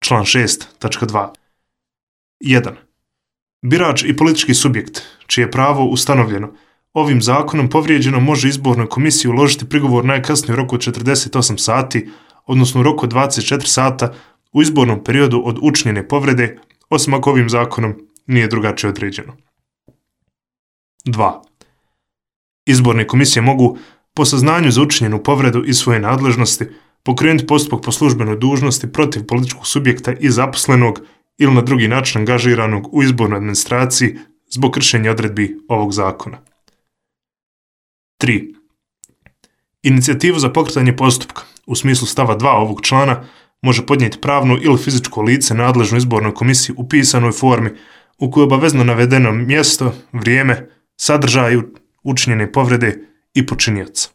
član 6.2. 1. Birač i politički subjekt, čije je pravo ustanovljeno ovim zakonom povrijeđeno, može izbornoj komisiji uložiti prigovor najkasnije u roku od 48 sati, odnosno u roku od 24 sata u izbornom periodu od učinjene povrede, osim ako ovim zakonom nije drugačije određeno. 2. Izborne komisije mogu, po saznanju za učinjenu povredu iz svoje nadležnosti, pokrenuti postupak po službenoj dužnosti protiv političkog subjekta i zaposlenog ili na drugi način angažiranog u izbornoj administraciji zbog kršenja odredbi ovog zakona. 3. Inicijativu za pokretanje postupka u smislu stava 2 ovog člana može podnijeti pravno ili fizičko lice nadležno izbornoj komisiji u pisanoj formi u kojoj je obavezno navedeno mjesto, vrijeme, sadržaj učinjene povrede i počinioca.